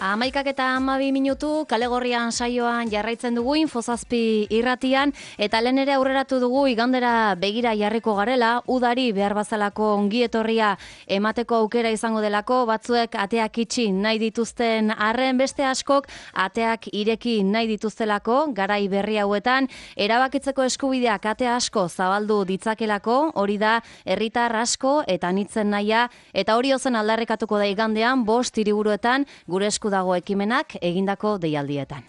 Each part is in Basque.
11:12 kale gorrian saioan jarraitzen dugu Infozazpi irratian eta lehen ere aurreratu dugu igandera begira jarriko garela, udari behar bazalako ongi etorria emateko aukera izango delako, batzuek ateak itxi nahi dituzten arren, beste askok ateak ireki nahi dituztelako, garai berri hauetan erabakitzeko eskubideak ate asko zabaldu ditzakelako, hori da herritar asko eta anitzen nahia, eta hori ozen aldarrekatuko da igandean 5 hiriburuetan gure esku dago ekimenak egindako deialdietan.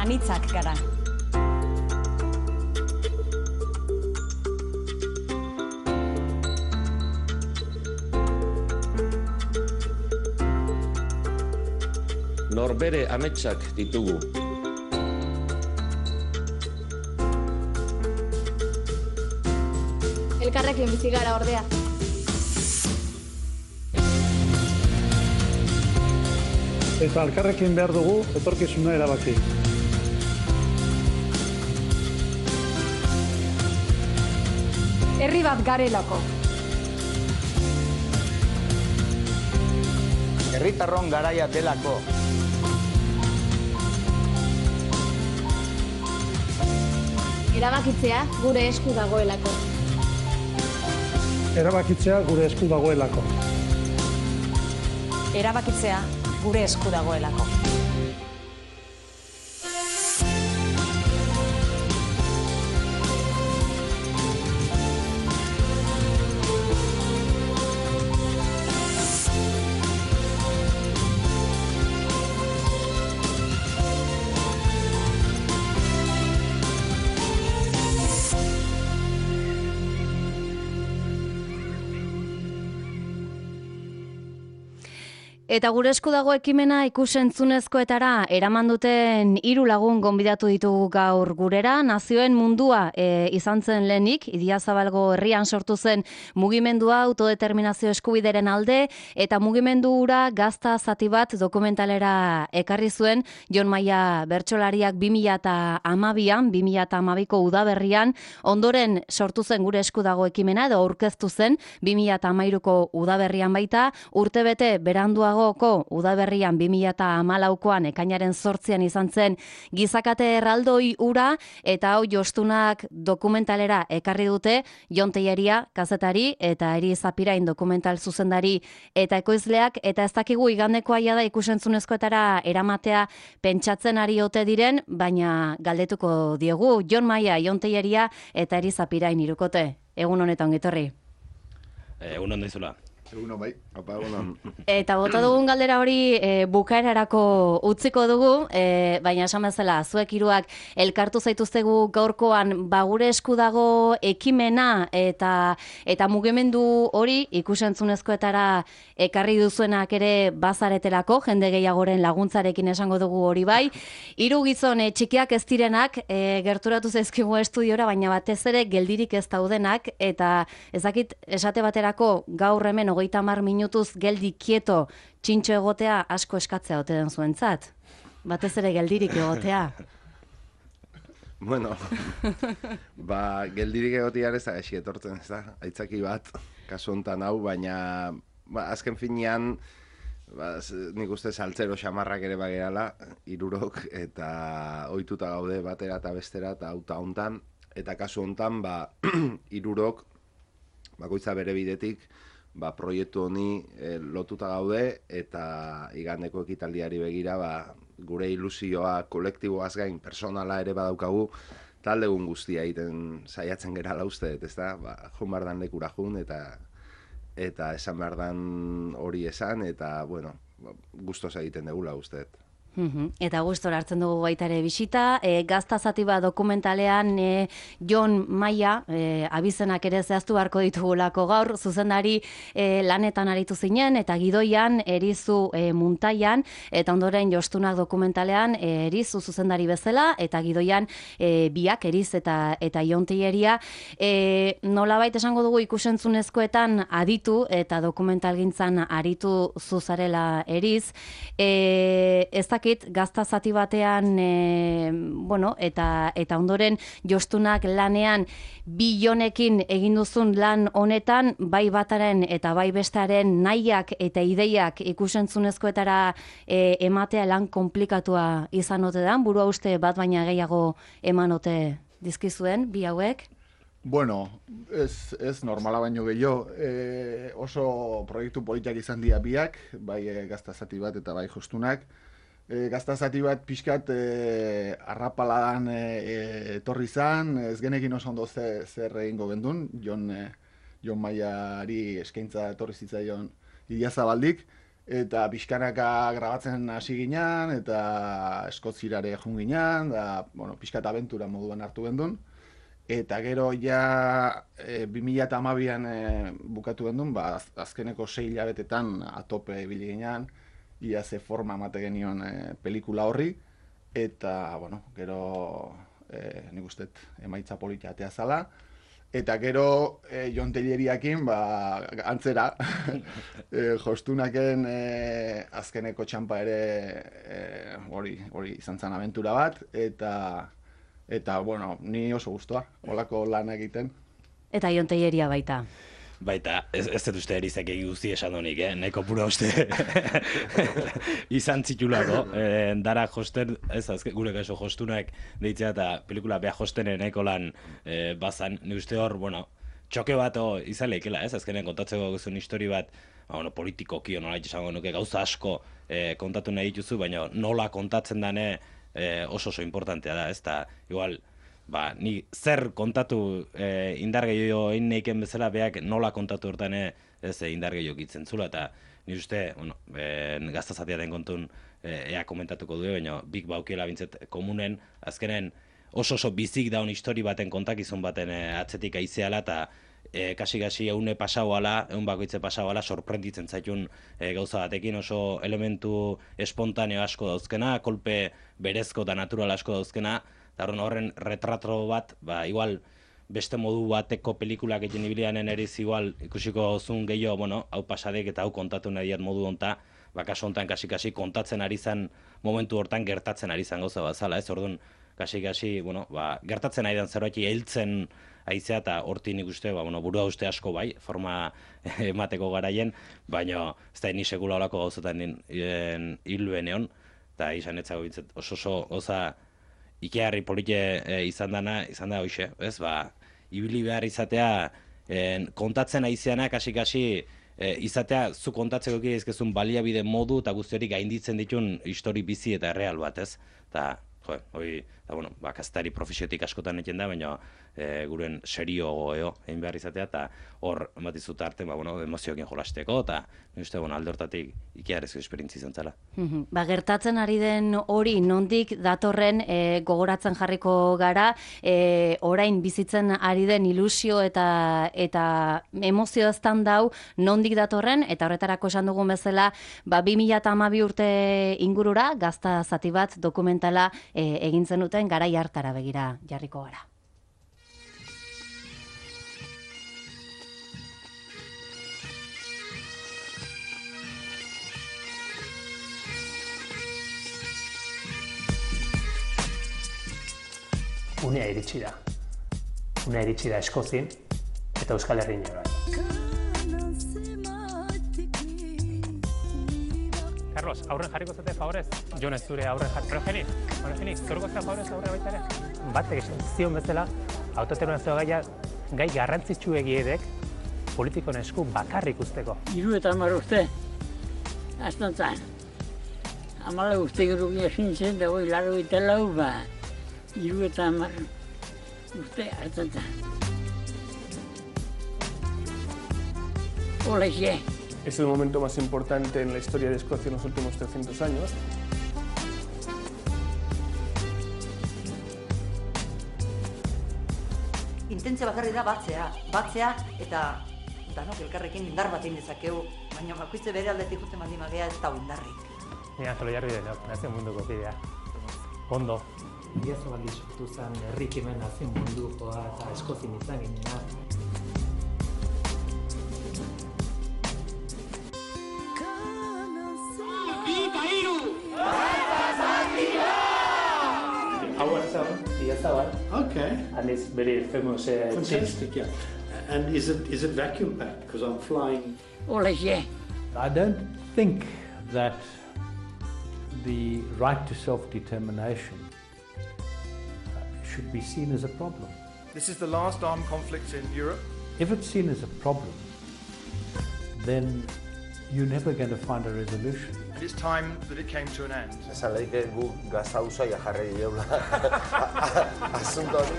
Anitzak gara. Norbere ametsak ditugu. Elkarrekin bizi gara ordea. Eta elkarrekin behar dugu etorkizuna erabaki. Herri bat garelako. Herritarron garaia delako. Erabakitzea gure esku dagoelako. Erabakitzea gure esku dagoelako. Erabakitzea gure esku dagoelako. Eta gure esku dago ekimena ikusentzunezkoetara eraman duten 3 lagun gonbidatu ditugu gaur gurera. Nazioen mundua izan zen lehenik, Idiazabalgo herrian sortu zen mugimendua autodeterminazio eskubideren alde, eta mugimendu hura gazta zati bat dokumentalera ekarri zuen Jon Maia bertsolariak 2012an, 2012ko udaberrian, ondoren sortu zen gure esku dago ekimena, edo aurkeztu zen 2013ko udaberrian baita, urtebete beranduago udaberrian 2014koan ekainaren 8an izan zen gizakate erraldoi ura, eta hau jostunak dokumentalera ekarri dute Jon Telleria kazetari eta Eri Zapirain dokumental zuzendari eta ekoizleak, eta ez dakigu igandeko aia da ikusentzunezkoetara eramatea pentsatzen ari ote diren, baina galdetuko diegu Jon Maia, Jon Telleria eta Eri Zapirain hirukote. Egun honetan ongitorri. Egun hon daizula. Egunon bai, opa egunon. Eta bota dugun galdera hori bukaerarako utziko dugu, baina esan bezala, zuek hiruak elkartu zaituztegu gaurkoan gure esku dago ekimena eta mugimendu hori ikusentzunezkoetara ekarri duzuenak ere bazaretelako, jende gehiagoren laguntzarekin esango dugu hori bai. 3 gizon txikiak ez direnak gerturatu zaizkigu estudiora, baina batez ere geldirik ez daudenak, eta ezakit esate baterako gaur hemen 30 minutuz geldi kieto txintxo egotea asko eskatzea ote den zuentzat. Batez ere geldirik egotea. Bueno, geldirik egotean ez da gaixi etortzen, ez da? Aitzaki bat, kasu hontan hau, baina azken finean nik uste saltzero xamarrak ere bagerala, 3 eta ohituta gaude batera eta bestera eta auta hontan, eta kasu hontan 3 bakoitza bere bidetik proiektu honi lotuta gaude, eta igandeko ekitaldiari begira gure ilusioa kolektiboaz gain personala ere badaukagu, taldegun guztia egiten saiatzen gerala uste, ez da? Joan behar dan lekura jun, eta esan behar dan hori esan, eta, bueno, gustoz egiten degula uste. Eta gustora hartzen dugu baita ere bisita. Gazta zati bat dokumentalean Jon Maia, abizenak ere zehaztu beharko ditugulako gaur, zuzendari lanetan aritu zinen, eta gidoian erizu muntaian, eta ondoren jostunak dokumentalean erizu zuzendari bezala, eta gidoian biak eriz eta jontieria. Nolabait esango dugu ikusentzunezkoetan aditu eta dokumentalgintzan aritu zuzarela eriz. Ez gazta zati batean eta ondoren jostunak lanean bi Jonekin egin duzun lan honetan, bai bataren eta bai bestaren nahiak eta ideiak ikusentzunezkoetara ematea lan komplikatua izan ote da, burua uste bat baina gehiago emanote dizkizuen bi hauek? Bueno, ez normala baino gehiago, oso proiektu politiak izan dira biak, bai gazta zati bat eta bai jostunak. Gazta zati bat pixkat arrapaladan etorri zan, ez genekin oso ondo zer egingo gendun, Jon Maiari eskaintza etorri zitzaion Idiazabaldik, eta pixkanaka grabatzen hasi ginen, eta Eskotzirare joan ginen, da, bueno, pixkat abentura moduan hartu gendun. Eta gero ja 2012an bukatu gendun, azkeneko 6 hilabetetan atope ibili ginen, ia ze forma emate genion pelikula horri, eta, bueno, gero nik uste emaitza politia atea zala, eta gero Jon Telleriakin, antzera, jostunaken azkeneko txampa ere hori izan zen abentura bat, eta, bueno, ni oso guztua, holako lan egiten. Eta Jon Telleria baita. Baita, ez dut uste erizak guzti esan honik, nahiko pura uste izan zitulako. Dara josten, gure kaso jostunak deitzea eta pelikula beha jostenen nahiko lan bazan. Ni uste hor, bueno, txoke bat izan lehikela, azkenen kontatzeko guzun histori bat, politikoki, nola izango nuke gauza asko kontatu nahi dituzu, baina nola kontatzen dane oso importantea da, ez da, igual, ni zer kontatu indar gehiago egin neiken bezala beak nola kontatu hortan ez indar gehiago gitzen zula, eta nire uste, gazta zatiaren kontun ea komentatuko du, baina bik baukiela bintzet komunen, azkenen oso bizik daun histori baten kontakizun baten atzetik aizeala, eta kasi eune pasauala, eun bakoitze pasauala, sorprenditzen zaitun gauza batekin, oso elementu espontaneo asko dauzkena, kolpe berezko eta natural asko dauzkena, eta horren retrato bat, igual beste modu bateko pelikulak egin ibilianen eriz igual ikusiko zun gehiago, bueno, hau pasadek eta hau kontatu nahi diat modu honta, kaso hontan kasi kontatzen ari zan momentu hortan gertatzen ari zan gauza bazala, ez? Orduan, kasi, bueno, gertatzen ari dan zerbait heltzen aizea eta hortin ikuste, burua uste asko bai, forma emateko garaien, baina ez da ni sekula olako gauzetan hiluen egon, eta izan etzago bintzet oso goza ikearri polite izan da hoxe, ez, ibili behar izatea, kontatzen aizeana, kasi, izatea, zu kontatzeko izkezun baliabide modu eta guzti hori gainditzen ditun histori bizi eta real bat, ez? Eta, kaztari profesiotik askotan eten da, baina guren serio egin behar izatea, eta hor, batizut arte, emozioekin jolasteko, eta uste, alde hortatik ikearezko esperientzi izan zela. Gertatzen ari den hori nondik datorren gogoratzen jarriko gara, orain bizitzen ari den ilusio eta emozio eztan dau nondik datorren, eta horretarako esan dugun bezala, 2012 urte ingurura, gazta zati bat dokumentala egin zenuten garai hartara begira jarriko gara. Unea iritsi da Eskozien eta Euskal Herrian ere. Carlos, aurren jarriko zate favorez? Jon ez zure aurren jarriko. Pero Geni, zorko zera favorez aurre baita ere? Batek esan zion bezala, autodeterminazio gai garrantzitsu egiedek politikon esku bakarrik usteko. 30 urte, astantzan. 14 urte gero egin zen, da goi laro eta lau, 30 urte astantzan. Hola, Es el momento más importante en la historia de Escocia en los últimos 300 años. intentzio bakarri da batzea eta danok elkarrekin indar bat egin dezakegu, baina bakoitze bere aldetik juten baldin bagea ez dago indarrik. Ni Angelo Jarri denok, nazio munduko kidea. Ondo. Idiazabal sortu zen herrikimen nazio mundukoa eta eskozin izan ginena. Our son, Idiazabal. Okay. And it's very famous. Fantastic, yeah. And is it vacuum packed? Because I'm flying. I don't think that the right to self-determination should be seen as a problem. This is the last armed conflict in Europe. If it's seen as a problem, then you're never going to find a resolution. And it's time that it came to an end. Esan leike gu gazta usaia jarri diela asunto hori.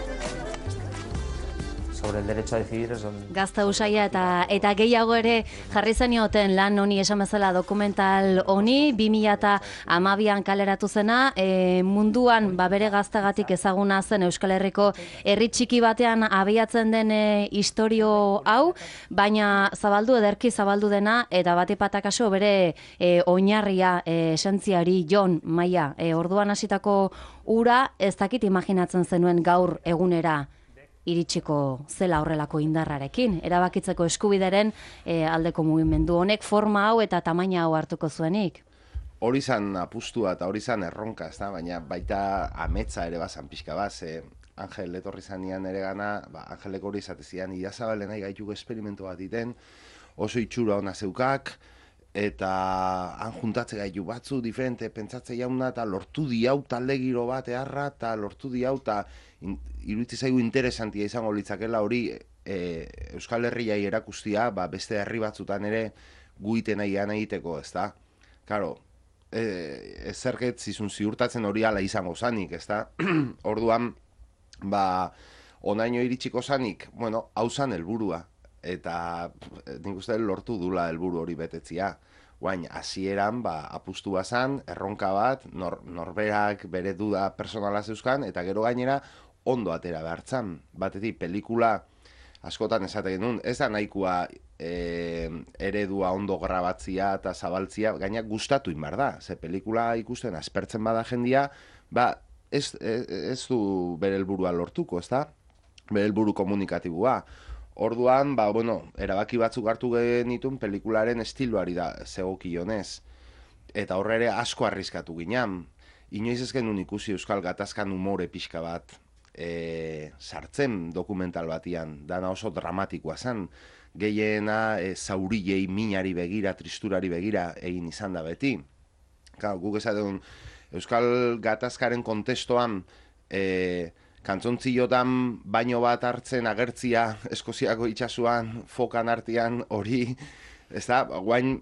Sobre el derecho a decidir es donde... Gazta usaia eta gehiago ere jarri zenioten lan honi esan bezala dokumental honi, 2012an kaleratu zena, munduan bere gaztagatik ezaguna zen Euskal Herriko herri txiki batean abiatzen den istorio hau, baina ederki zabaldu dena, eta batepatak kaso bere oinarria esentziari Jon Maia, orduan hasitako ura ez dakit imaginatzen zenuen gaur egunera iritsiko zela horrelako indarrarekin. Erabakitzeko eskubideren aldeko mugimendu honek forma hau eta tamaina hau hartuko zuenik. Hori zan apustua eta hori zan erronka, ezta? Baina baita ametsa ere bazan pixka bat, Angel etorri zanean ere gana, Angelek hori zatezian, Idiazabalen nahi gaituk esperimentu bat iten, oso itxura ona zeukak, eta han juntatze gaitu batzu diferente pentsatze jauna, eta lortu diau talde giro bat eharra, eta lortu diau, eta iruditzen zaigu interesantia izango litzakela hori Euskal Herriai erakustia, beste herri batzutan ere guiten nahian egiteko, ezta? Karo, ezerket zizun ziurtatzen hori ala izango zanik, ezta? Orduan, onaino iritsiko zanik, bueno, hau zan helburua, eta nik uste lortu dula helburu hori betetzia. Guain, hasieran apustu bazan, erronka bat, norberak bere duda personala zeuzkan, eta gero gainera ondo atera behartzan. Batetik, pelikula askotan esaten genuen, ez da nahikoa eredua ondo grabatzia eta zabaltzia, gaina gustatu inbar da. Ze pelikula ikusten aspertzen bada jendia, ez du bere helburua lortuko, ez da? Bere helburu komunikatibua. Orduan, erabaki batzuk hartu genitun pelikularen estiloari da zegokionez. Eta horre ere asko arriskatu ginean. Inoiz ez genuen ikusi Euskal Gatazkan umore pixka bat sartzen dokumental batian. Dana oso dramatikoa zen. Gehiena zaurilei minari begira, tristurari begira egin izan da beti. Guk esaten Euskal Gatazkaren kontestoan kantzontziotan baino bat hartzen agertzia Eskoziako itxasuan, fokan artean hori, ez da, guain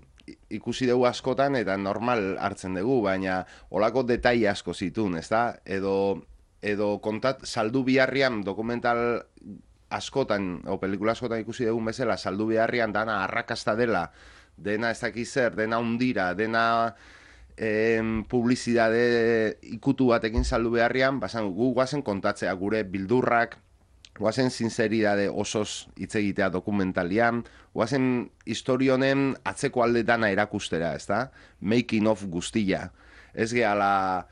ikusi dugu askotan eta normal hartzen dugu, baina olako detai asko zitun, ez da, edo saldu biharrian dokumental askotan, o pelikula askotan ikusi dugun bezala, saldu biharrian dana arrakasta dela, dena ez dakiz zer, dena undira, dena publizidade ikutu batekin saldu beharrian, gu guazen kontatzea gure bildurrak, guazen sinceridade osoz hitz egitea dokumentalian, guazen historionen atzeko alde dana erakustera, ez da? Making of guztia. Ez gehala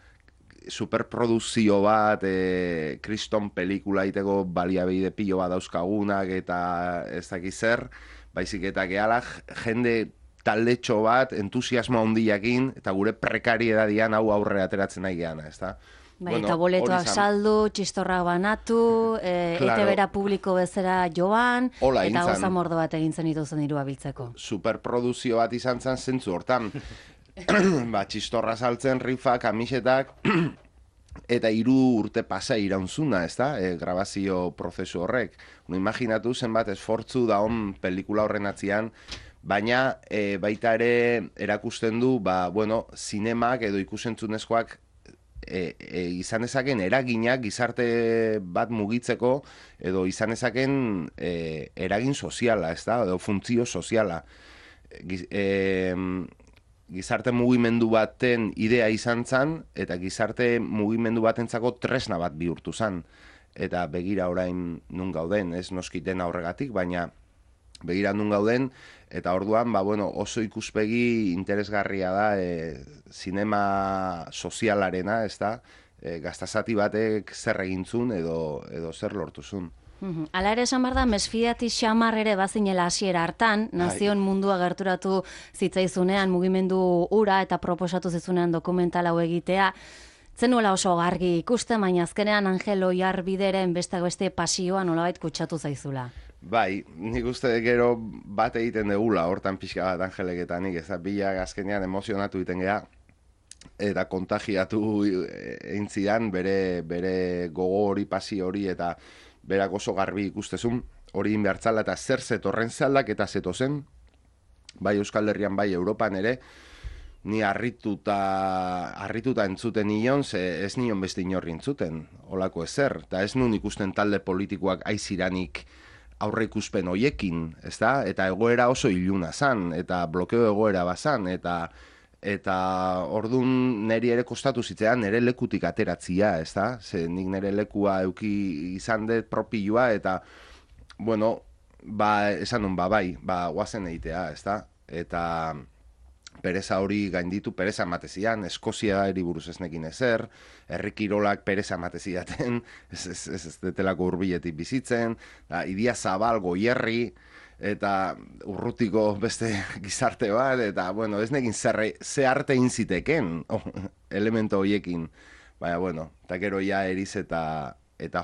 superproduzio bat, kriston pelikula iteko baliabide pilo bat dauzkagunak eta ez dakiz zer, baizik eta gehala jende taldetxo bat, entusiasmo handiakin, eta gure prekariedadian hau aurre ateratzen nahi geana, ez da? Eta boletoak saldu, txistorrak banatu, ETB-ra publiko bezera joan, eta goza mordo bat egin zen ituzen dirua biltzeko. Superproduzio bat izan zen zentzu hortan. Txistorra saltzen, rifa, kamisetak, eta 3 urte pasa iraunzuna, ez da? Grabazio prozesu horrek. Imaginatu zenbat esfortzu daon pelikula horren atzian, baina baita ere erakusten du, zinemak edo ikusentzunezkoak izan ezaken eraginak gizarte bat mugitzeko edo izan ezaken eragin soziala, ez da? Edo funtzio soziala. Gizarte mugimendu baten idea izan zen, eta gizarte mugimendu batentzako tresna bat bihurtu zen. eta begira orain nun gauden, ez noski dena horregatik, baina begira nun gauden, eta orduan, oso ikuspegi interesgarria da zinema sozialarena, ez da, gaztasati batek zer egintzun edo zer lortuzun. Hala ere esan behar da, mesfidati xamar ere bazinela hasiera hartan, nazioen mundua gerturatu zitzaizunean, mugimendu ura eta proposatu zizunean dokumental hau egitea, zenuela oso argi ikusten, baina azkenean Angel Oiarbideren besteak beste pasioa nolabait kutsatu zaizula. Bai, nik uste gero bat egiten degula, hortan pixka bat Angelek eta nik, ez da, bilak azkenean emozionatu egiten geha, eta kontagiatu egin zidan bere gogo hori, pasio hori, eta berak oso garbi ikustezun, hori inbertzala eta zer zetorren zaldak eta zetozen, bai Euskal Herrian, bai Europan ere, ni harrituta entzuten nion, ez nion beste inorri entzuten, holako ezer, eta ez nun ikusten talde politikoak aiziranik aurre ikuspen hoiekin, ez da? Eta egoera oso iluna zan, eta blokeo egoera bazan, eta orduan niri ere kostatu zitzean, nire lekutik ateratzia, ez da? Ze nik nire lekua euki izan dut propioa, eta, esan nun, bai, guazen egitea, ez da? Eta pereza hori gainditu, pereza ematezian, Eskozia eriburuz ez nekin ezer, herrikirolak pereza emateziaten, ez detelako hurbiletik bizitzen, Idia Zabal, Goierri, eta urrutiko beste gizarte bat, eta, ez nekin ze arte inziteken, elemento horiekin, baina, eta gero ja Eriz eta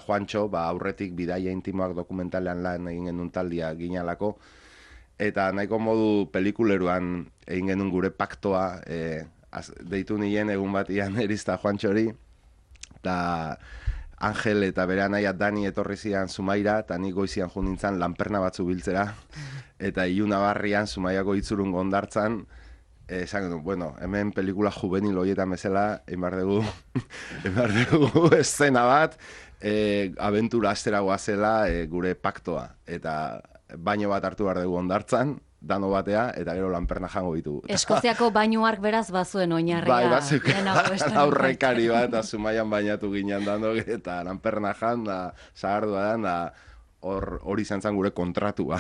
Juantxo, aurretik bidaia intimoak dokumentalean lan egin genuen taldia ginalako, eta nahiko modu pelikuleruan egin genuen gure paktoa, deitu nien egun batian Eriz eta Juantxori, eta Angel eta bere anaia Dani etorri zidan Zumaira, eta nik goizian jo nintzen lanperna batzu biltzera, eta Ilunabarrian Zumaiako itzurun gondartzan, esan genuen, hemen pelikula juvenil horietan bezala, emar dugu eszena bat, abentura astera goazela gure paktoa, eta baino bat hartu behar dugu ondartzan, dano batea, eta gero lanperna jango ditu. Eskoziako bainuark beraz bazuen oinarria. Bai, bazuken aurrekari bat, Zumaian bainatu ginen dano, eta lanperna jan, da, zagardua dan, da, hori izan zen gure kontratua,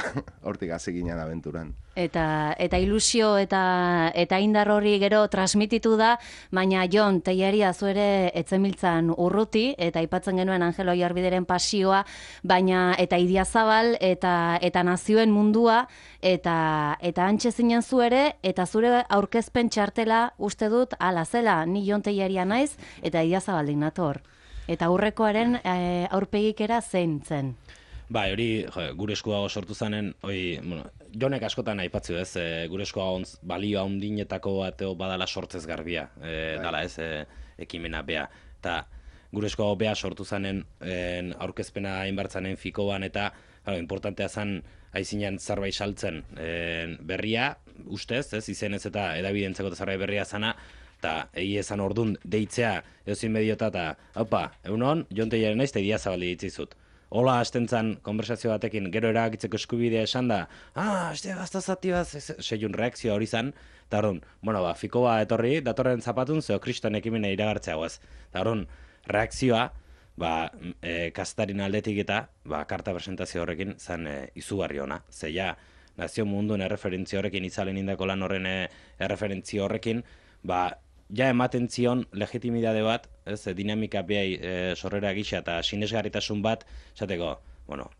hortik hasi ginen abenturan. Eta ilusio eta indar hori gero transmititu da, baina Jon, Telleria zu ere etzemiltzan urruti, eta aipatzen genuen Angel Oiarbideren pasioa, baina eta Idia Zabal, eta nazioen mundua, eta antxe zinen zu ere, eta zure aurkezpen txartela uste dut ala zela, ni Jon Telleria naiz, eta Idia Zabaldin nator. Eta aurrekoaren aurpegikera zein zen. Bai, hori gure esku dago sortu zanen, Jonek askotan aipatzu ez, gure esku dago balio handinetako bateo badala sortzez garbia, dala ez, ekimena bea. Eta gure esku dago bea sortu zanen aurkezpena hainbartzanen fikoan, eta importantea zan aizinean zerbait saltzen berria, ustez, ez, izenez eta edabidentzeko zerbait berria zana, eta egi ezan ordun deitzea eozin mediota eta, haupa, egunon, Jon Telleria naiz eta Idia Zabali ditzizut. Hola, hasten zan, konversazio batekin, gero eragitzeko eskubidea esan da, hastea gaztazati bat, seiun reakzioa hori zan, eta orduan, fiko bat etorri, datorren zapatun, zeo kriston ekimena iragartzea guaz. Eta orduan, reakzioa, kastarin aldetik eta, karta presentazio horrekin, zan izugarri ona. Zeia, nazio munduen erreferentzio horrekin, itzalen indako lan horren erreferentzio horrekin, ja ematen zion legitimidade bat, dinamika behai sorrera gisa eta sinesgarritasun bat, esateko,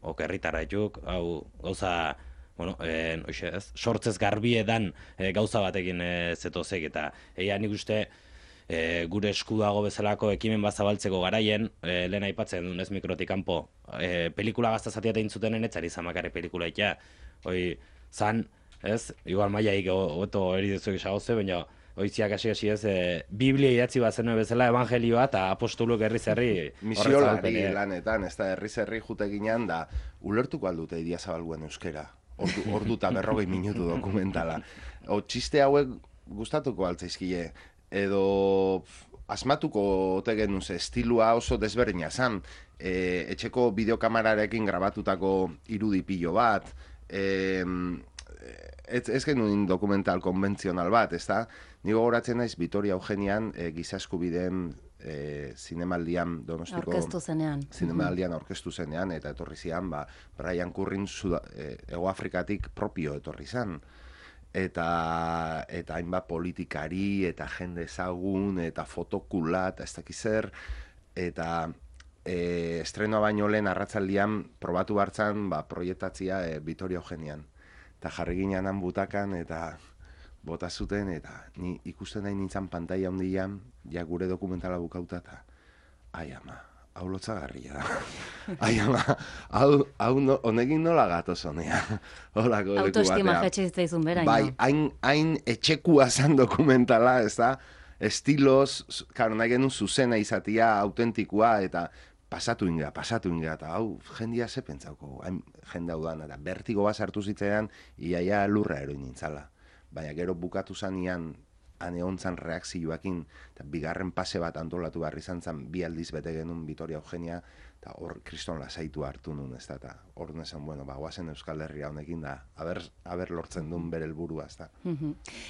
okerritara etuk, hau gauza, sortzez garbiedan gauza batekin zetozek, eta nik uste gure esku dago bezalako ekimen bat zabaltzeko garaien, lehen aipatzen duen ez mikrotik kanpo, pelikula gaztazatia tein zutenen etzari zamakare pelikula itea, zan, igual maiaik oto eridezuek esagoze, baina oitziak hasi ez, Biblia idatzi bat zenuen bezala, evangelioa eta apostoluk herri-zerri misiolari lanetan, ez da herri-zerri jute ginean da, ulertuko aldute Idia Zabalguen euskera, ordu eta 40 minutu dokumentala. Txiste hauek gustatuko altzaizkile, edo asmatuko ote genuz, estilua oso desberdina zan, etxeko bideokamerarekin grabatutako irudipillo bat, ez genuen dokumental konbentzional bat, ez da? Nigo goratzen naiz Vitoria Eugenian giza eskubideen zinemaldian Donostiko aurkeztu zenean. Zinemaldian aurkeztu zenean, eta etorri zian, Brian Currin Hego Afrikatik propio etorri zan. Eta hainbat politikari, eta jende ezagun, eta fotokula, eta ez dakiz zer, eta estrenoa baino lehen arratzaldian probatu hartzan proiektatzia Vitoria Eugenian. Eta jarri ginean butakan, eta bota zuten, eta ni ikusten nahi nintzen pantaila handian, ja gure dokumentala bukauta, eta ai ama, hau lotzagarria da. Ai ama, hau honekin nola gatoz honea. Autoestima jetxe zitzaizun bera. Bai, hain etxekua zan dokumentala, ez da, estiloz, karo, nahi genuen zuzena izatia, autentikua, eta pasatu inga, eta hau, jendia ze pentsauko, jende hau dan, eta bertigo bat sartu zitzaidan, iaia lurra eroin nintzala. Baina gero bukatu zanean, ane hontzan reakzioakin, eta bigarren pase bat antolatu behar izan zen, 2 aldiz bete genuen Vitoria Eugenia, eta hor kriston lasaitu hartu nuen, ez da, eta hor nesan, guazen Euskal Herria honekin da, haber lortzen duen bere helburua, ez da.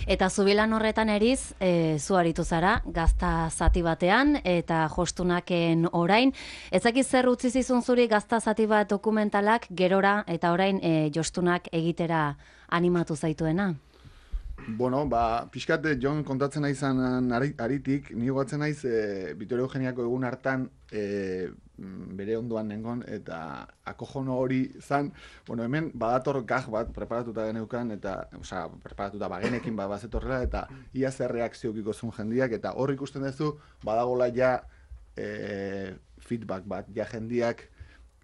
Eta zubilan horretan eriz, zu aritu zara, gazta zati batean, eta jostunaken orain, ezakiz zer utzi zizun zuri gazta zati bat dokumentalak gerora, eta orain jostunak egitera animatu zaituena? Bueno, pixkat Jon kontatzen naizan aritik, ni gogatzen naiz Vitoria Eugeniako egun hartan bere ondoan nengon, eta akojono hori zan, hemen badator gaj bat preparatuta geneukan, eta, preparatuta bagenekin bazetorrela, eta ia zer reakziokiko zuen jendiak, eta hor ikusten duzu, badagola ja feedback bat, ja jendiak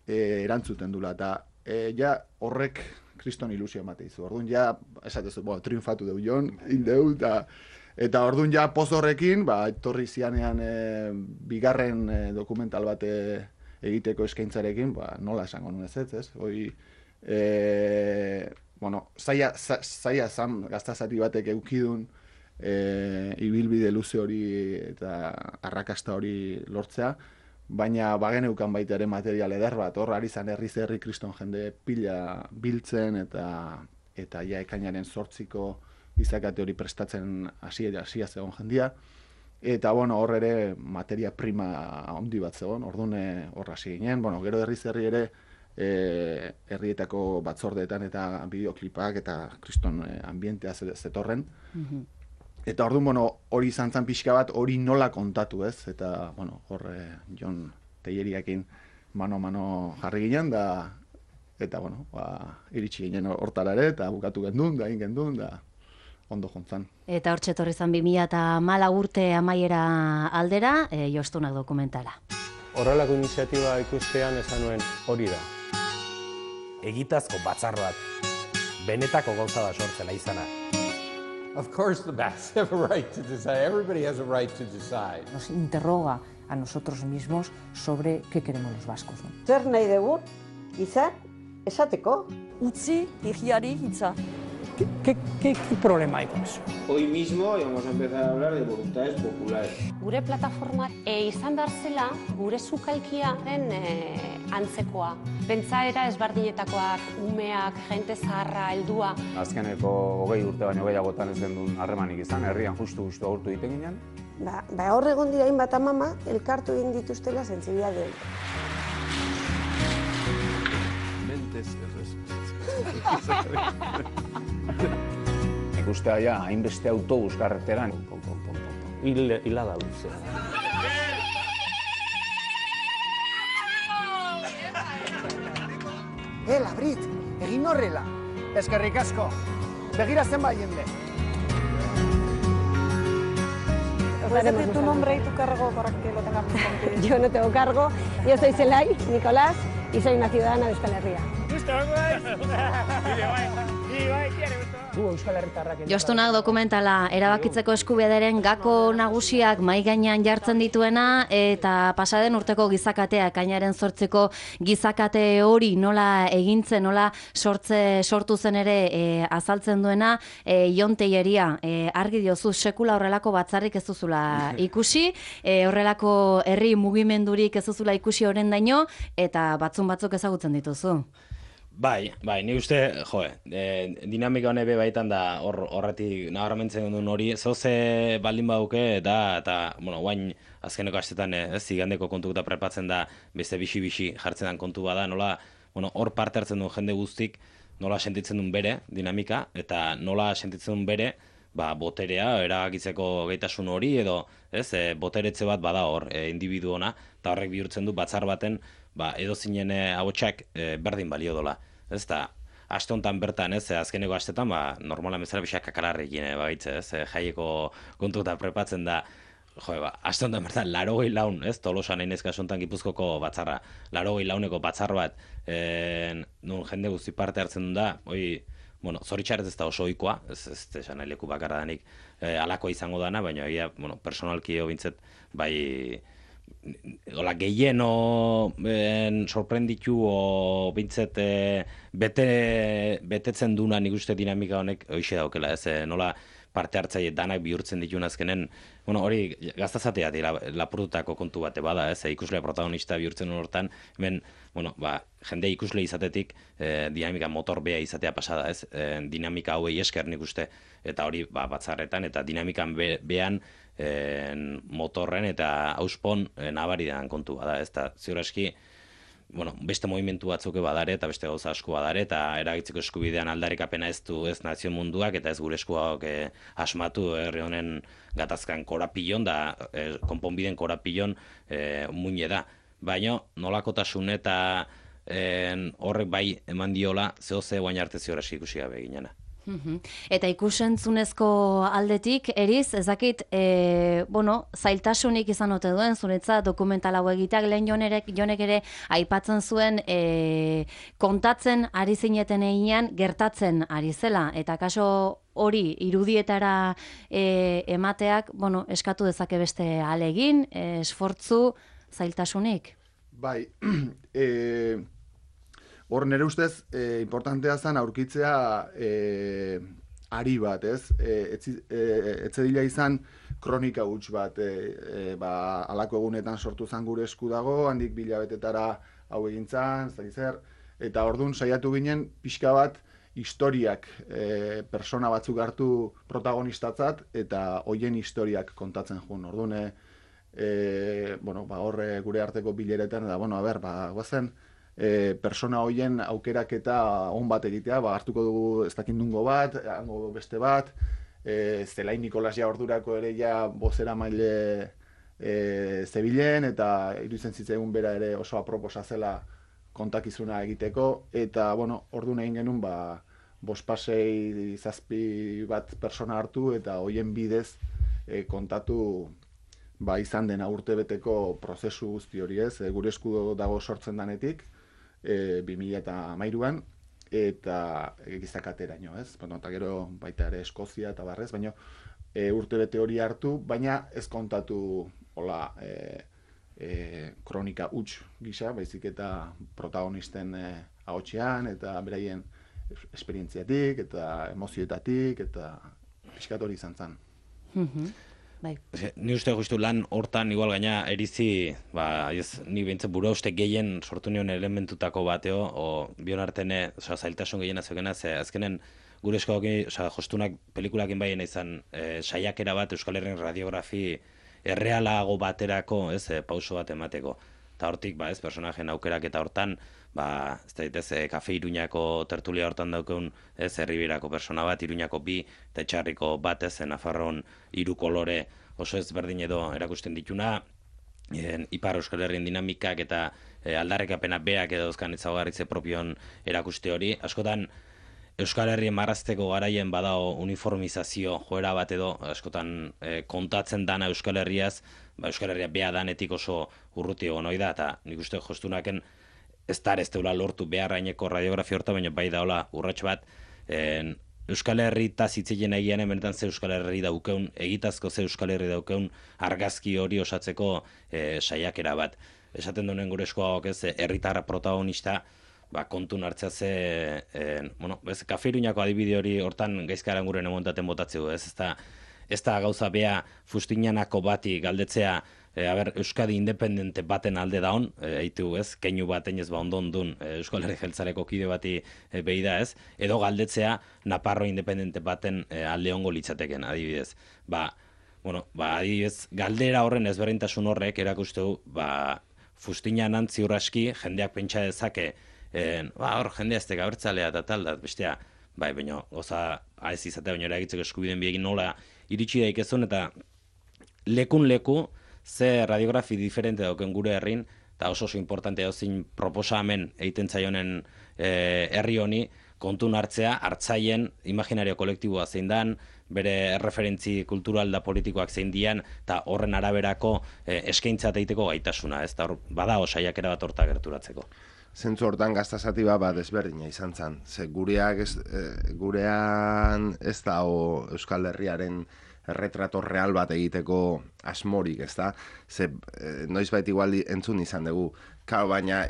erantzuten dula, eta ja horrek kriston ilusio emate izu. Orduan ja, esatezu, triunfatu deu Jon, indeu, eta orduan ja poz horrekin, etorri zianean bigarren dokumental bat egiteko eskaintzarekin, nola esango nuen ez? Hoi, zaila zan gaztazati batek eukidun ibilbide luze hori eta arrakasta hori lortzea, baina bageneukan baita ere material eder bat, hor ari zan herri kriston jende pila biltzen, eta ja ekainaren 8ko gizakate hori prestatzen hasia zegoen jendia, eta hor ere materia prima handi bat zegoen, orduan hor hasi ginen, gero herri ere herrietako batzordeetan eta bideoklipak eta kriston ambientea zetorren, eta orduan, hori izan zan pixka bat, hori nola kontatu, ez? Eta, hor Jon Telleriakin mano jarri ginen, eta, iritsi ginen hortara ere, eta bukatu gendun, da egin gendun, da ondo jontzan. Eta hor txetorri zan 2014 urte amaiera aldera, jostunak dokumentala. Horrelako iniziatiba ikustean esan nuen hori da. Egitazko batzar bat, benetako gauza da sortzela izana. Of course the Basques have a right to decide. Everybody has a right to decide. Nos interroga a nosotros mismos sobre qué queremos los vascos. Zer nahi dugu, izan, esateko. Utzi higiari hitza. ¿Qué problema hay con eso? Hoy mismo vamos a empezar a hablar de voluntades populares. Gure plataforma izan behar zela gure sukalkiaren antzekoa. Pentsaera ezberdinetakoak, umeak, jente zaharra, heldua. Azkeneko 20 urte baino gehiagotan ez gendun harremanik izan, herrian justu agurtu egiten ginen. Hor egon dira hainbat amama, elkartu egin dituztela sentsibilitate. Mentes Ikustea ja, hainbeste autobus karreteran. Hila da luze. Labrit, egin horrela. Eskerrik asko. Begira zenbait jende. ¿Puedes decir tu nombre y tu cargo para que lo tengamos contigo? Yo no tengo cargo. Yo soy Zelay Nicolás y soy una ciudadana de Euskal Herria. Jostunak dokumentala erabakitzeko eskubideren gako nagusiak mahai gainean jartzen dituena, eta pasaden urteko gizakatea, ekainaren 8ko gizakate hori nola egintzen, nola sortu zen ere azaltzen duena, Jon Telleria, argi diozu sekula horrelako batzarrik ez duzula ikusi, horrelako herri mugimendurik ez duzula ikusi horren daino, eta batzuk ezagutzen dituzu. Bai, ni uste, dinamika honebe baitan da horretik nabarmentzen duen hori, zoze baldin bauke eta guain azkeneko astetan zigandeko kontukuta prepatzen da beste bixi jartzen den kontu bada, nola hor parte hartzen duen jende guztik, nola sentitzen duen bere dinamika, eta nola sentitzen duen bere boterea, erabakitzeko gaitasun hori, edo boteretze bat bada hor individu ona, eta horrek bihurtzen du batzar baten edo zinen ahotsak berdin balio dola. Ez da, aste honetan bertan, azkeneko astetan, normalan bezala pixak kakalarrekin, jaieko kontuta prepatzen da, aste honetan bertan, 80 laun, Tolosan einez kasu honetan Gipuzkoko batzarra, 80 launeko batzar bat, nun jende guzti parte hartzen duen da, zoritxarrez ez da oso ohikoa, ez esan leku bakarra danik alakoa izango dana, baina personalki bintzet, gehieno sorprenditu o bintzet betetzen duna nik uste dinamika honek hoxe daukela, nola parte hartzaile danak bihurtzen dituen azkenen, hori gaztazatea lapurtutako kontu bate bada, ikuslea protagonista bihurtzen hortan, hemen, jende ikusle izatetik dinamika motor bea izatea pasada, dinamika hauei esker nik uste, eta hori batzarretan, eta dinamikan bean motorren eta auspon nabaridan kontu bada, ez da, ziur eski, beste movimentu batzuk badare eta beste gauza asko badare eta eragitzeko eskubidean aldarrikapena ez du ez nazio munduak eta ez gure eskuak asmatu herri honen gatazkan korapilon da konponbiden korapilon muine da. Baina nolakotasun eta horrek bai eman diola zehoze guain arte ziur eski ikusi gabe ginena. Eta ikusentzunezko aldetik, Eriz, ezakit, zailtasunik izan ote duen, zuretza dokumental hau egiteak lehen jonek ere aipatzen zuen kontatzen ari zineten einean gertatzen ari zela, eta kaso hori irudietara emateak, eskatu dezake beste alegin, esfortzu, zailtasunik? Bai, hor nire ustez, importantea zen aurkitzea ari bat, ez? Etzedila izan kronika huts bat, alako egunetan sortu zen gure esku dago, handik bilabetetara hau egintzan, eta orduan saiatu ginen pixka bat historiak persona batzuk hartu protagonistatzat, eta hoien historiak kontatzen jun. Orduan, hor gure arteko bileretan, guazen, persona hoien aukeraketa on bat egitea, hartuko dugu ez dakindungo bat, hango beste bat, Zelai Nikolas ja ordurako ere ja bozera maile zebilen, eta iruditzen zitzaigun bera ere oso aproposa zela kontakizuna egiteko, eta orduan egin genuen bospasei zazpi bat persona hartu, eta hoien bidez kontatu izan dena urtebeteko prozesu guzti hori ez, gure esku dago sortzen danetik, 2013an, eta gizakateraino, ez? Eta gero baita ere Eskozia eta barrez, baina urtebete hori hartu, baina ez kontatu kronika huts gisa, baizik eta protagonisten ahotsean, eta beraien esperientziatik, eta emozioetatik, eta pixkat hori izan zen. Ni uste justu lan hortan igual gaina erizi, ni behintzen bura uste gehien sortu nion elementutako bateo, bion artene zailtasun gehien azokena, azkenen gure eskoak jostunak pelikulakin baien izan saiakera bat Euskal Herrien radiografi errealago baterako, pauso bat emateko. Eta hortik, personajen aukerak eta hortan, Kafe Iruñako tertulia hortan daukeun, Herribirako persona bat, Iruñako bi, eta Etxarriko bat, Nafarroan 3 kolore oso ezberdin edo erakusten dituna, Ipar Euskal Herrien dinamikak eta aldarrekapena beak edo euskan ezaugarritze propion erakuste hori. Askotan, Euskal Herrien marrazteko garaien badao uniformizazio joera bat edo, askotan kontatzen dana Euskal Herriaz, Euskal Herria bea danetik oso urruti egon hoi da, eta nik uste jostunaken ez deula lortu beharraineko radiografia horta, baina bai daola urrats bat, Euskal Herri eta zitzilen egian benetan ze Euskal Herri daukeun, egitazko ze Euskal Herri daukeun argazki hori osatzeko saiakera bat. Esaten duen gure eskoak herritar protagonista, kontun hartzea ze, Kafe Iruñako adibide hori hortan gaizkaran gure nemontaten botatzeu, ez da gauza bea fustinanako bati galdetzea Euskadi independente baten alde daun, eitu ez, keinu baten ez ondon dun Euskal Herri Jeltzaleko kide bati behi da ez, edo galdetzea Naparro independente baten alde ongo litzateken, adibidez. Adibidez, galdera horren ezberdintasun horrek erakuste du, fustinan antzi urraski, jendeak pentsa dezake, hor jendea ez teka abertzalea eta tal, da, bestea, baina goza ez izatea baina eragitzeko eskubideen biegin nola iritsi daikezun, eta lekun leku, ze radiografi diferente dauken gure herrin, eta oso importante dozin proposamen egiten zaionen herri honi, kontun hartzea, hartzaien imaginario kolektiboa zein dan, bere referentzi kultural da politikoak zein dian, eta horren araberako eskaintza egiteko gaitasuna, ez da bada saiakera bat horta gerturatzeko. Zentzu hortan gaztasati bat ezberdina izan zen. Ze gurean ez da Euskal Herriaren erretrato real bat egiteko asmorik, ez da? Ze noizbait igual entzun izan dugu. Baina,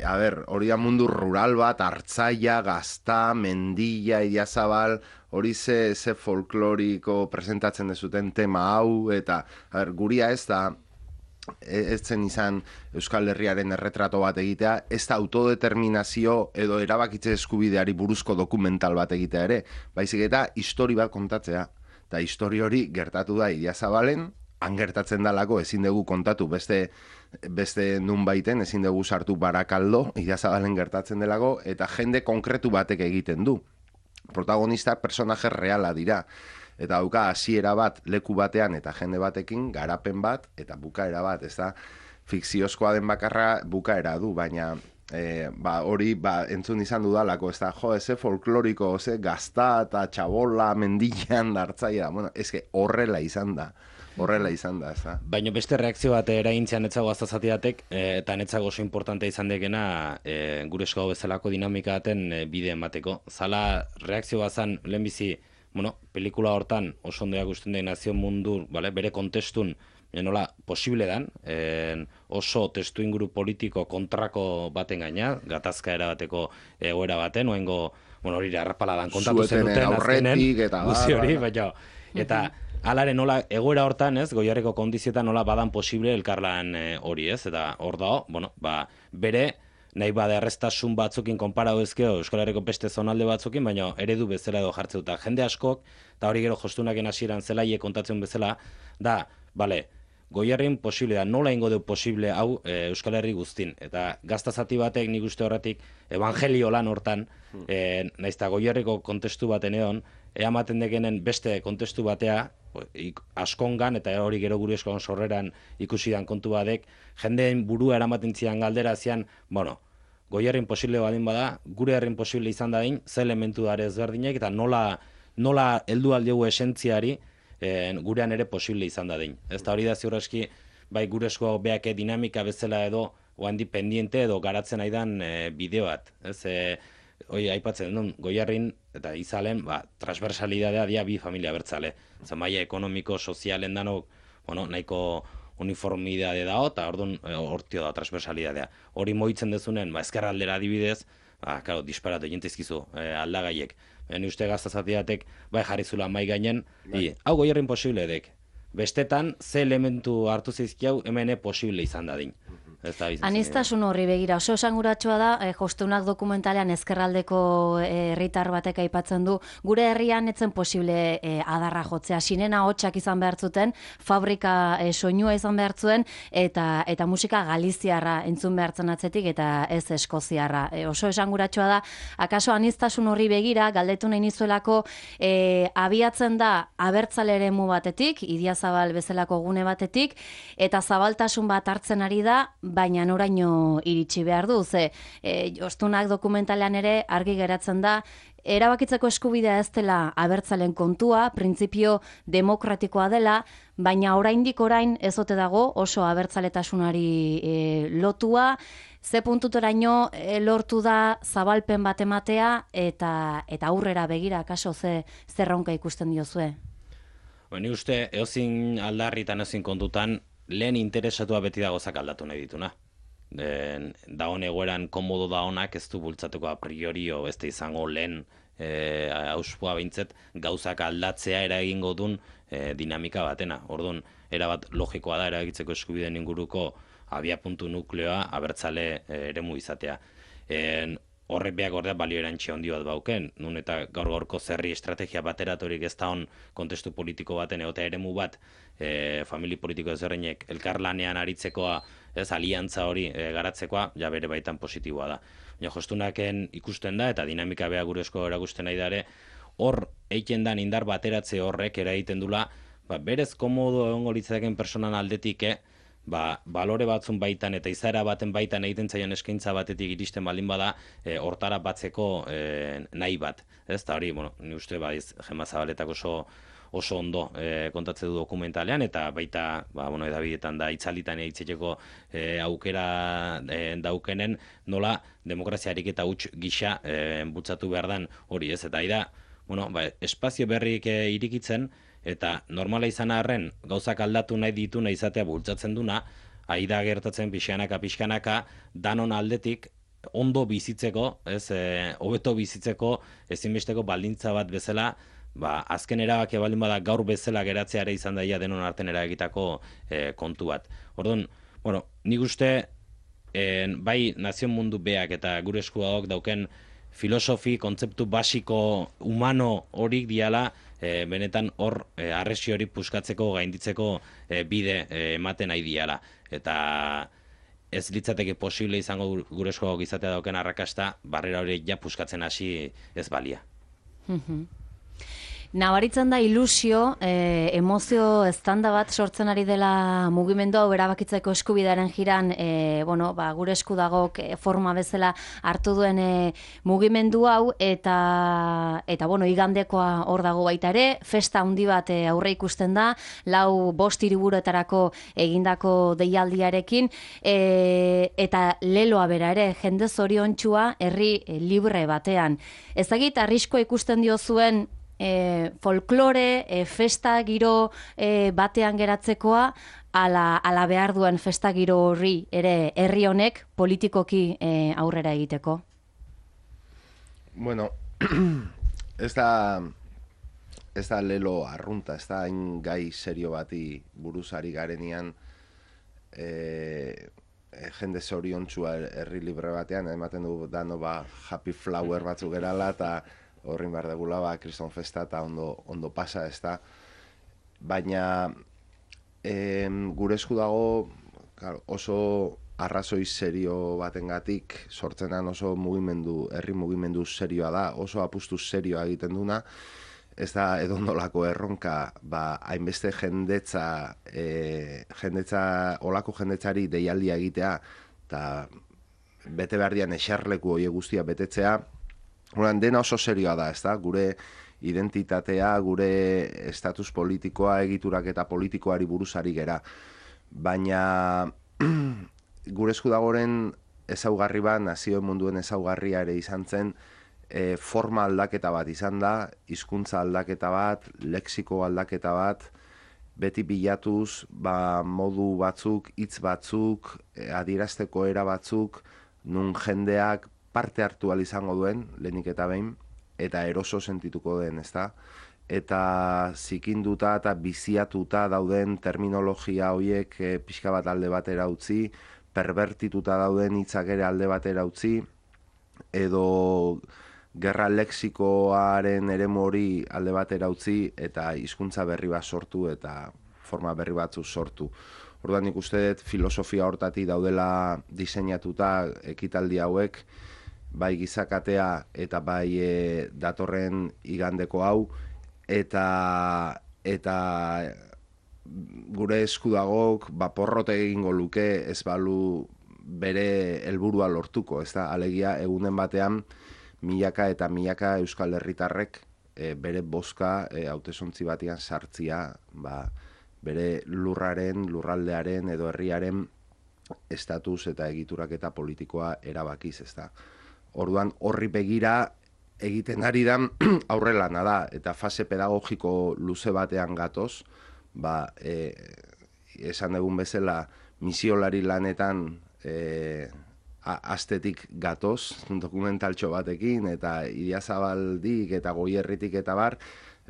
hori da mundu rural bat, Hartzaia, Gazta, Mendilla, Idiazabal, hori ze folkloriko presentatzen dezuten tema hau, eta guria ez da, ez zen izan Euskal Herriaren erretrato bat egitea, ez da autodeterminazio edo erabakitze eskubideari buruzko dokumental bat egitea ere, baizik eta histori bat kontatzea. Eta histori hori gertatu da Idiazabalen, han gertatzen dalako ezin dugu kontatu beste nun baiten, ezin dugu sartu Barakaldo, Idiazabalen gertatzen delako, eta jende konkretu batek egiten du. Protagonista personaje reala dira. Eta dauka hasiera bat leku batean eta jende batekin, garapen bat, eta bukaera bat, ez da, fikziozkoa den bakarra bukaera du, baina hori entzun izan dudalako, ez da, eze folkloriko, Gazta eta Txabola, Mendillan, Hartzaia, horrela izan da, ez da. Baina beste reakzio bat eraintzean etzago gaztazatiatek, eta netzago oso importante izan dekena gure esko bezalako dinamika baten bide emateko. Zala reakzio bat zan lehenbizi, pelikula hortan oso ondoak usten den nazio mundu, bere kontestun, nola posible dan, oso testu inguru politiko kontrako baten gaina, gatazka erabateko egoera baten, oengo, hori arrapaladan kontatu zenuten aurretik eta guzi hori, baina, eta alare nola egoera hortan, ez, Goierriko kondizietan nola badan posible elkarlan hori, ez, eta hor dago, bere, nahi bada erreztasun batzukin konparau ezkeo Euskal Herriko beste zonalde batzukin, baina eredu bezala edo jartzeuta. Jende askok, eta hori gero jostunaken hasieran zelaie kontatzen bezala, da, Goierrin posible da, nola ingo du posible hau Euskal Herri guztin. Eta gaztazati batek nik uste horretik evangelio lan hortan, naizta Goierriko kontestu baten egon, eamaten dekenen beste kontestu batea, askongan, eta hori gero gure eskon sorreran ikusidan kontu badek, jendeen burua eramaten zian galdera zian, Goierrin posible badin bada, gure herrin posible izan dadin, ze elementu dara ezberdinek, eta nola heldu aldiogu esentziari, gurean ere posible izan dadin. Ez da hori da ziur eski, bai gure esko beake dinamika bezala edo, oandi pendiente edo garatzen aidan bideo bat. Hoi, aipatzen duen, Goierrin eta Izalen, transversalidadea dia bi familia bertzale. Maia ekonomiko, sozialen danok, nahiko uniformidade dao, eta orduan hortio da transversalidadea. Hori moitzen dezunen, ezkerraldera adibidez, disparatu jentizkizu aldagaiek. Ni uste gaztazatiatek jarri zula mai gainen, hau Goierrin posible edek. Bestetan, ze elementu hartu zizkiau, hemen posible izan dadin. Aniztasun horri begira, oso esanguratsua da, jostunak dokumentalean ezkerraldeko herritar batek aipatzen du, gure herrian etzen posible adarra jotzea, sinena hotxak izan behar zuten, fabrika soinua izan behar zuen, eta musika galiziarra entzun behartzen atzetik, eta ez eskoziarra. Oso esanguratsua da, akaso aniztasun horri begira, galdetu nahi nizuelako, abiatzen da abertzale eremu batetik, Idiazabal bezalako gune batetik, eta zabaltasun bat hartzen ari da, baina noraino iritsi behar du, jostunak dokumentalean ere argi geratzen da, erabakitzeko eskubidea ez dela abertzalen kontua, printzipio demokratikoa dela, baina orain ezote dago oso abertzaletasunari lotua, ze puntuteraino lortu da zabalpen bat ematea eta aurrera begira, kaso zerronka ikusten diozue? Ni uste, eozin aldarritan ezin kontutan, lehen interesatua beti dago aldatu nahi dituna. dagoen egoeran komodo da honak ez du bultzatuko a priori, ez da izango lehen auspua behintzet, gauzak aldatzea eragingo duen dinamika batena. Orduan, erabat logikoa da eragitzeko eskubideen inguruko abiapuntu nukleoa abertzale eremu izatea. Horrek behak ordea balio erantxe handi bat bauken, nun eta gaur-gaurko zerri estrategia bateratorik ez da hon kontestu politiko baten egotea eremu bat, famili politiko ezberdinek elkarlanean aritzekoa, aliantza hori garatzekoa, ja bere baitan positiboa da. Baina jostunaken ikusten da, eta dinamika beha gure esko erakusten nahi dare, hor eiken dan indar bateratze horrek eragiten dula, berez komodo egongo litzateken personan aldetik, balore batzun baitan eta izaera baten baitan egiten zaion eskaintza batetik iristen baldin bada, hortara batzeko nahi bat. Eta hori, ni uste Gema Zabaletak oso ondo kontatze du dokumentalean, eta baita, edabidetan da itzalitan hitzeteko aukera daukenen, nola demokraziarik eta huts gisa bultzatu behar dan hori, ez? Eta da, espazio berrik irikitzen, eta normala izan arren gauzak aldatu nahi ditu nahi izatea bultzatzen duna, da gertatzen pixkanaka, danon aldetik ondo bizitzeko, hobeto bizitzeko ezinbesteko baldintza bat bezala, azken erabakia baldin bada gaur bezala geratzeare izan daia denon arten eragitako kontu bat. Orduan, nik uste bai nazion mundu beak eta gure eskuagok dauken filosofi, kontzeptu basiko humano horik diala, benetan hor arresi hori puskatzeko, gainditzeko bide ematen nahi diala. Eta ez litzateke posible izango gure eskuagok izatea dauken arrakasta, barrera hori ja puskatzen hasi ez balia. Nabaritzen da ilusio, emozio eztanda bat sortzen ari dela mugimendu hau erabakitzeko eskubidearen jiran, gure esku dagok forma bezala hartu duen mugimendu hau, eta igandekoa hor dago baita ere, festa handi bat aurre ikusten da, 4-5 hiriburuetarako egindako deialdiarekin, eta leloa bera ere, jende zoriontsua herri libre batean. Ezagit arriskoa ikusten dio zuen folklore, festa giro batean geratzekoa, ala behar duen festa giro horri ere herri honek politikoki aurrera egiteko? Bueno, ez da lelo arrunta, ez da hain gai serio bati buruzari garenean jende zoriontsua herri libre batean, ematen du dano happy flower batzuk gerala, eta horrin behar degula, kriston festa eta ondo pasa, ez da. Baina gure esku dago oso arrazoi serio batengatik sortzenan oso herri mugimendu serioa da, oso apustu serioa egiten duna, ez da edondolako erronka, hainbeste jendetza, olako jendetzari deialdia egitea, eta bete behar dian eserleku hori guztia betetzea, dena oso serioa da, ez da, gure identitatea, gure estatus politikoa, egiturak eta politikoari buruzari gera. Baina gure esku dagoren ezaugarri bat, nazioen munduen ezaugarria ere izan zen, forma aldaketa bat izan da, hizkuntza aldaketa bat, lexiko aldaketa bat, beti bilatuz, modu batzuk, hitz batzuk, adierazteko era batzuk, nun jendeak parte hartu izango duen, lehenik eta behin, eta eroso sentituko den, ezta? Eta zikinduta eta biziatuta dauden terminologia horiek pixka bat alde batera utzi, perbertituta dauden hitzak ere alde batera utzi, edo gerra lexikoaren eremu hori alde batera utzi, eta hizkuntza berri bat sortu eta forma berri batzu sortu. Orduan nik uste dut filosofia hortatik daudela diseinatuta ekitaldi hauek, bai gizakatea eta bai datorren igandeko hau, eta gure esku dagok porrote egingo luke ez balu bere helburua lortuko, ez da, alegia egunen batean milaka eta milaka euskal herritarrek bere bozka hautesontzi batean sartzia, bere lurraren, lurraldearen edo herriaren estatus eta egiturak eta politikoa erabakiz, ez da. Orduan horri begira egiten ari da aurrelana da, eta fase pedagogiko luze batean gatoz, esan dugun bezala misiolari lanetan astetik gatoz, dokumentaltxo batekin, eta Idiazabaldik eta Goierritik eta bar,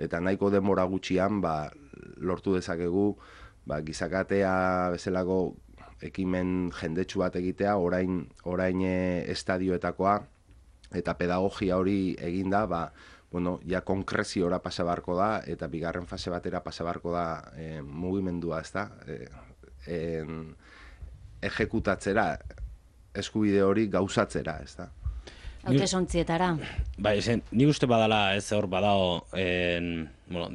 eta nahiko denbora gutxian lortu dezakegu gizakatea bezalako ekimen jendetsu bat egitea, orain estadioetakoa, eta pedagogia hori eginda, ja konkreziora pasa barko da, eta bigarren fase batera pasa barko da mugimendua, ez da? Ejekutatzera, eskubide hori gauzatzera, ez da? Hautesontzietara. Nik uste badala, ez hor badao,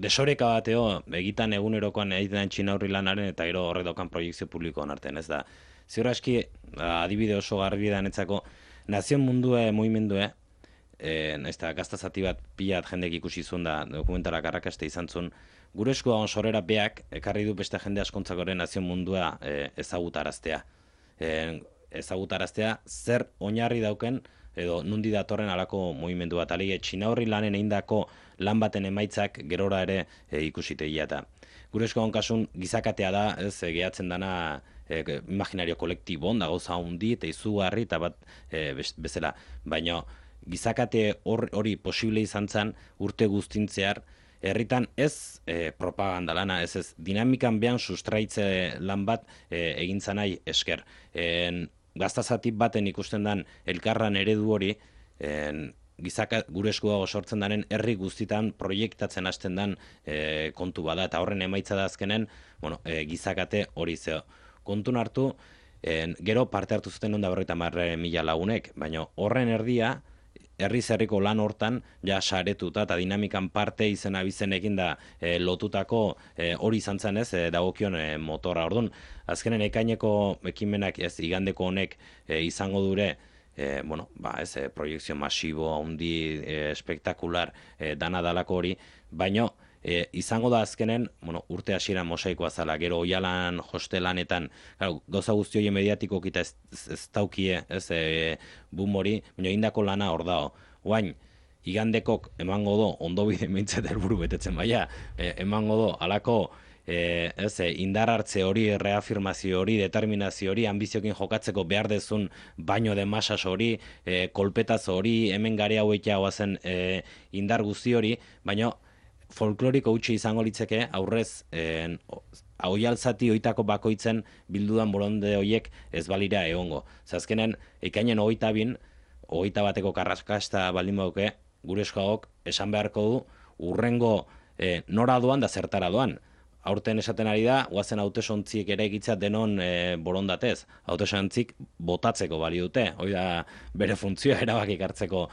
desoreka bateo, egitan egunerokoan egiten txinaurri lanaren eta gero horrek daukan proiektzio publikoan artean, ez da? Ziur aski, adibide oso garbi da netzako, nazion mundue, mugimendue, ez da, gaztazati bat pilat jendek ikusi zuen da, dokumentalak arrakaste izan zuen, gure eskua sorrera beak, ekarri du beste jende askontzakore nazion mundua ezagutaraztea. Ezagutaraztea zer oinarri dauken edo nundi datorren alako mugimendu bat. Alegia, txinaurri lanen eindako lan baten emaitzak gerora ere ikusitegia eta. Gure eskoan kasun gizakatea da, ez gehatzen dana imaginario kolektibon, da gauza hundi eta izugarri eta bat bezala. Baina gizakate hori posible izan zen urte guztintzear, herritan ez propaganda lana, ez dinamikan behan sustraitze lan bat egintza nahi esker. Gaztazati baten ikusten dan elkarran eredu hori, gure eskuago sortzen daren herri guztitan proiektatzen hasten dan kontu bada, eta horren emaitza da azkenen gizakate hori zeo. Kontun hartu, gero parte hartu zuten onda 50.000 lagunek, baina horren erdia, herri-zerriko lan hortan, ja saretuta eta dinamikan parte izena bizenekin da lotutako hori izan zen ez, dagokion motorra. Orduan, azkenen ekaineko ekimenak ez, igandeko honek izango dure, proiektzio masibo, handi, espektakular, dana dalako hori, baina izango da azkenen, urte hasiera mosaikoa zala, gero oialan, hostelanetan, gauza guzti horien mediatiko kita ez daukie, boom hori, baina indako lana hor dao. Oain, igandekok emango do, ondo bide mintzet helburu betetzen baina, emango do, alako indar hartze hori, reafirmazio hori, determinazio hori, ambiziokin jokatzeko behar dezun baino de masas hori, kolpetaz hori, hemen gare hauetia guazen indar guzti hori, baina folkloriko utzi izango litzeke aurrez oialzati oitako bakoitzen bildudan boronde horiek ez balira egongo. Azkenen, ekainen 22, 21 karraskasta baldin bauke, gure eskoagok esan beharko du urrengo nora doan da zertara doan. Aurten esaten ari da, guazen hautesontziek ere egitzea denon borondatez. Hautesontzik botatzeko balio dute, hori da bere funtzioa erabakik hartzeko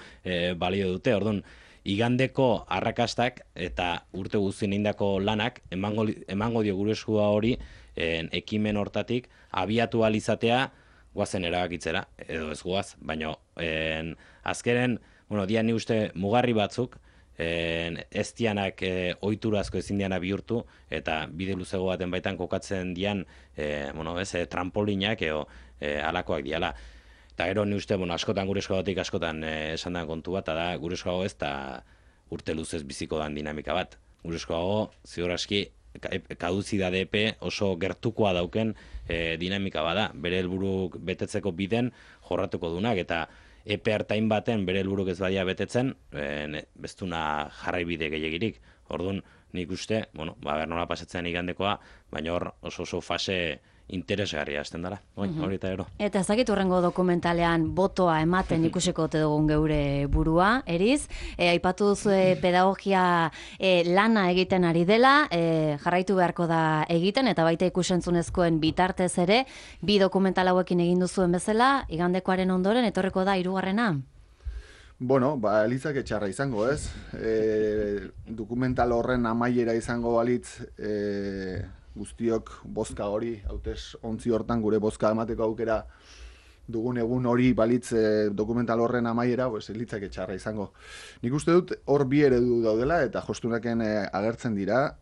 balio dute. Orduan, igandeko arrakastak eta urte guztien indako lanak emango dio gure eskua hori ekimen hortatik abiatu alizatea guazen erabakitzera, edo ez guaz, baina azkeren, dia ni uste mugarri batzuk, ez dianak ohiturazko ezin diana bihurtu, eta bide luzego baten baitan kokatzen dian trampolinak edo alakoak diala. Eta gero ni uste, askotan gure eskoagatik askotan esan den kontu bat, da gure eskoago ez da urte luzez biziko dan dinamika bat. Gure eskoago, ziur aski, kaduzidade epe oso gertukoa dauken dinamika bada. Bere helburuk betetzeko biden jorratuko dunak, eta epe hartain baten bere helburuk ez badia betetzen, bestuna jarraibide gehiagirik. Orduan, nik uste, nola pasatzen igandekoa, baina hor oso fase interesgarria hasten dara, hori eta ero. Eta ezakit hurrengo dokumentalean botoa ematen ikusiko ote dugun geure burua, Eriz. Aipatu duzu pedagogia lana egiten ari dela, jarraitu beharko da egiten, eta baita ikusentzunezkoen bitartez ere, bi dokumental hauekin egin duzuen bezala, igandekoaren ondoren, etorreko da 3. Elitzak etxarra izango, ez? Dokumental horren amaiera izango balitz, guztiok bozka hori, hautez ontzi hortan gure bozka emateko aukera dugun egun hori balitz dokumental horren amaiera, elitzak etxarra izango. Nik uste dut hor bi eredu daudela eta jostunaken agertzen dira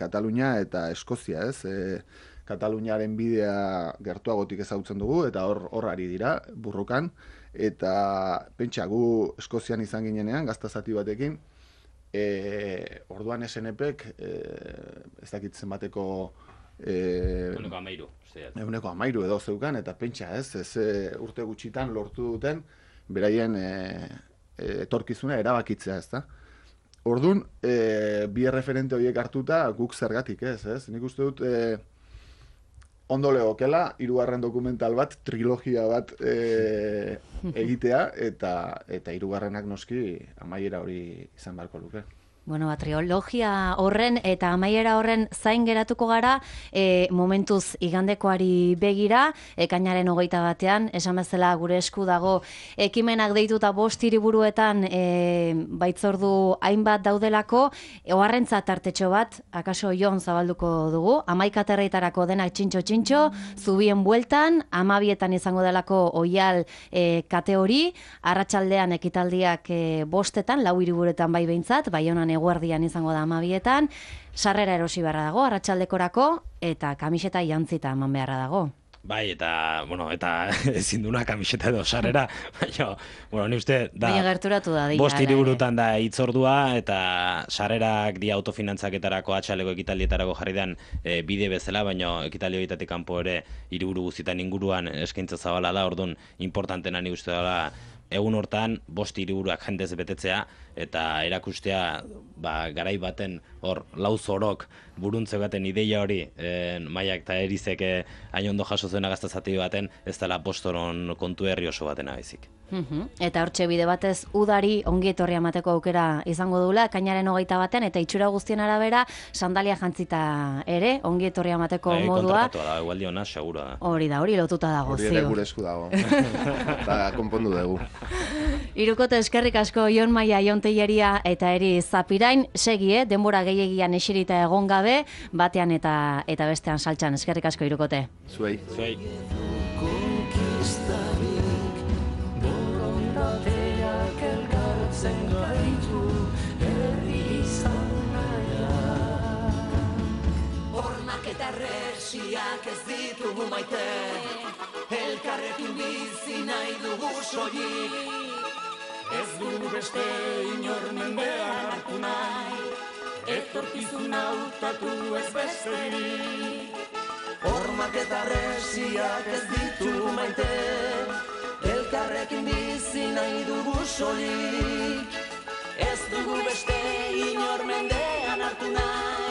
Katalunia eta Eskozia, ez? Kataluniaren bidea gertuagotik ezagutzen dugu eta hor ari dira, burrukan, eta pentsa gu Eskozian izan ginenean, gaztazati batekin, orduan SNPek ez dakitzen bateko Euneko 13. Euneko 13 edo zeukan, eta pentsa ez urte gutxitan lortu duten beraien etorkizuna erabakitzea, ez da? Orduan, bi referente horiek hartuta guk zergatik ez? Nik uste dut ondo legokela, 3. dokumental bat, trilogia bat egitea, eta 3. noski amaiera hori izan beharko luke. Bueno, trilogia horren eta amaiera horren zain geratuko gara, momentuz igandekoari begira, ekainaren 21, esan bezala gure esku dago ekimenak deituta 5 hiriburuetan baitzordu hainbat daudelako, oharrentza tartetxo bat, akaso Jon zabalduko dugu, 11 aterreitarako denak txintxo, zubien bueltan, 12etan izango delako oial kate hori, arratsaldean ekitaldiak 5etan, 4 hiriburuetan bai behintzat, Baionan eguerdian izango da 12etan, sarrera erosi beharra dago, arratsaldekorako, eta kamiseta jantzita eman beharra dago. Bai, eta ezin duna kamiseta edo sarrera, baina, ni uste, da, baina gerturatu da, 5 hiriburutan da hitzordua, eta sarrerak dia autofinantzaketarako atxaleko ekitaldietarako jarri den bide bezala, baina ekitaldi horietatik kanpo ere hiriburu guztietan inguruan eskaintza zabala da, orduan importantena ni uste dela egun hortan 5 hiriburuak jendez betetzea, eta erakustea garai baten hor lauzorok buruntze baten ideia hori Maiak eta Erizek hain ondo jaso zuena gaztazati baten, ez dela postoron kontu herri oso baten abezik. Eta hortxe bide batez udari ongi etorria emateko aukera izango dula, ekainaren 21 eta itxura guztien arabera sandalia jantzita ere ongi etorria emateko modua. Kontratatua da, egualdi ona, segura da. Hori lotuta dago, ziur. Hori ere gure esku dago. Eta konpondu dugu. Hirukote eskerrik asko Jon Maia, Jon Telleria eta Eri Zapirain, segi, denbora gehiagian eserita egon gabe, batean eta bestean saltxan, eskerrik asko hirukote. Zuei. Hormak eta resiak ez ditugu maite, elkarrekin bizi nahi dugu soilik. Ez dugu beste inor mendean hartu nahi, etorkizuna hautatu ez besterik. Hormak eta resiak ez ditugu maite, elkarrekin bizi nahi dugu soilik. Ez dugu beste inor mendean hartu nahi,